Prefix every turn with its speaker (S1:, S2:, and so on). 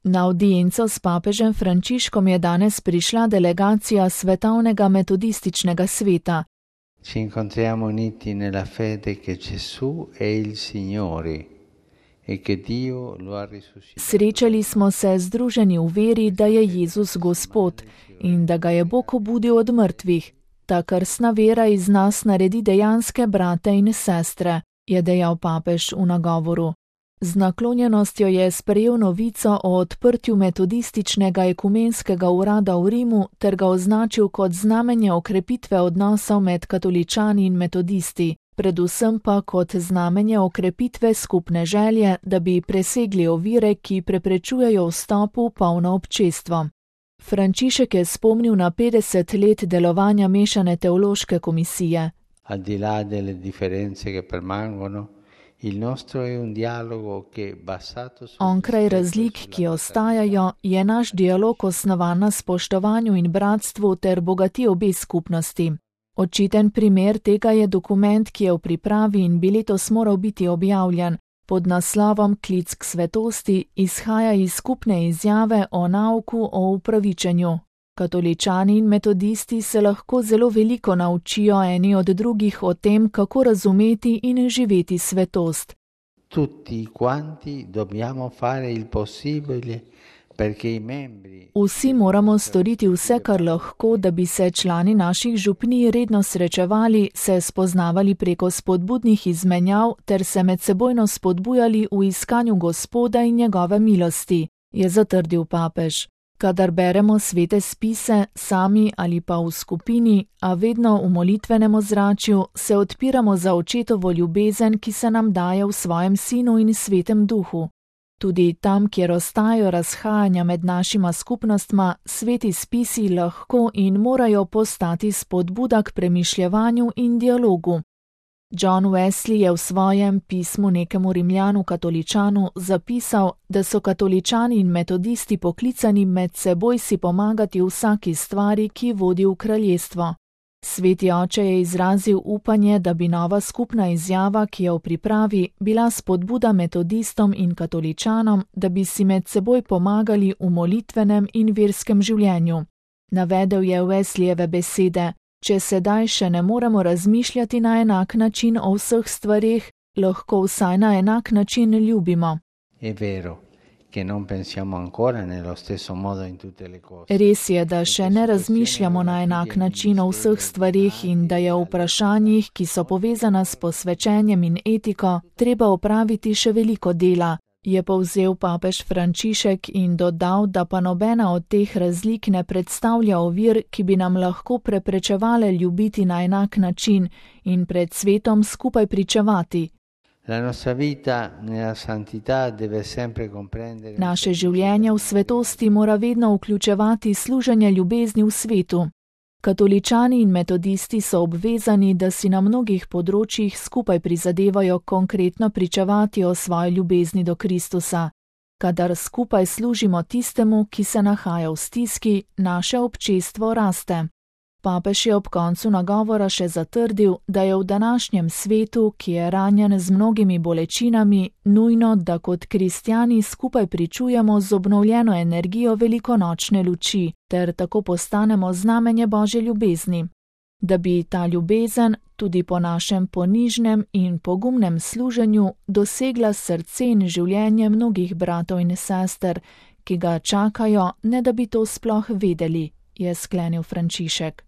S1: Na audienco s papežem Frančiškom je danes prišla delegacija Svetovnega metodističnega sveta.
S2: Ci incontriamo uniti nella fede che Gesù è il Signore e che Dio lo ha risuscitato.
S1: Srečali smo se združeni v veri, da je Jezus Gospod in da ga je Bog obudil od mrtvih. Ta krstna vera iz nas naredi dejanske brate in sestre, je dejal papež v nagovoru. Z naklonjenostjo je sprejel novico o odprtju metodističnega ekumenskega urada v Rimu ter ga označil kot znamenje okrepitve odnosov med katoličani in metodisti, predvsem pa kot znamenje okrepitve skupne želje, da bi presegli ovire, ki preprečujejo vstop v polno občestvo. Frančišek je spomnil na 50 let delovanja mešane teološke komisije.
S2: Al di là delle differenze che permangono, il nostro è un dialogo che basato su
S1: Onkraj razlik, ki ostajajo, je naš dialog osnovan na spoštovanju in bratstvu ter bogati obe skupnosti. Očiten primer tega je dokument, ki je v pripravi in bi letos moral biti objavljen. Pod naslovom Klic k svetosti izhaja iz skupne izjave o nauku o upravičenju. Katoličani in metodisti se lahko zelo veliko naučijo eni od drugih o tem, kako razumeti in živeti svetost.
S2: Tutti quanti dobbiamo fare il possibile perché i membri.
S1: Vsi moramo storiti vse, kar lahko, da bi se člani naših župnij redno srečevali, se spoznavali preko spodbudnih izmenjav ter se medsebojno spodbujali v iskanju Gospoda in njegove milosti, je zatrdil papež. Kadar beremo svete spise, sami ali pa v skupini, a vedno v molitvenem ozračju, se odpiramo za očetovo ljubezen, ki se nam daje v svojem Sinu in Svetem Duhu. Tudi tam, kjer ostajajo razhajanja med našima skupnostma, sveti spisi lahko in morajo postati spodbuda k premišljevanju in dialogu. John Wesley je v svojem pismu nekemu Rimljanu katoličanu zapisal, da so katoličani in metodisti poklicani med seboj si pomagati v vsaki stvari, ki vodi v kraljestvo. Sveti oče je izrazil upanje, da bi nova skupna izjava, ki je v pripravi, bila spodbuda metodistom in katoličanom, da bi si med seboj pomagali v molitvenem in verskem življenju. Navedel je Wesleyjeve besede: Če sedaj še ne moremo razmišljati na enak način o vseh stvareh, lahko vsaj na enak način ljubimo.
S2: È vero che non pensiamo ancora nello stesso modo in tutte le cose.
S1: Res je, da še ne razmišljamo na enak način o vseh stvareh in da je v vprašanjih, ki so povezana s posvečenjem in etiko, treba opraviti še veliko dela, je povzel papež Frančišek in dodal, da pa nobena od teh razlik ne predstavlja ovir, ki bi nam lahko preprečevale ljubiti na enak način in pred svetom skupaj pričevati.
S2: La nostra vita nella santità deve sempre comprendere.
S1: Naše življenje v svetosti mora vedno vključevati služenje ljubezni v svetu. Katoličani in metodisti so obvezani, da si na mnogih področjih skupaj prizadevajo konkretno pričevati o svoji ljubezni do Kristusa. Kadar skupaj služimo tistemu, ki se nahaja v stiski, naše občestvo raste. Papež je ob koncu nagovora še zatrdil, da je v današnjem svetu, ki je ranjen z mnogimi bolečinami, nujno, da kot kristjani skupaj pričujemo z obnovljeno energijo velikonočne luči, ter tako postanemo znamenje Božje ljubezni. Da bi ta ljubezen, tudi po našem ponižnem in pogumnem služenju, dosegla srce in življenje mnogih bratov in sester, ki ga čakajo, ne da bi to sploh vedeli, je sklenil Frančišek.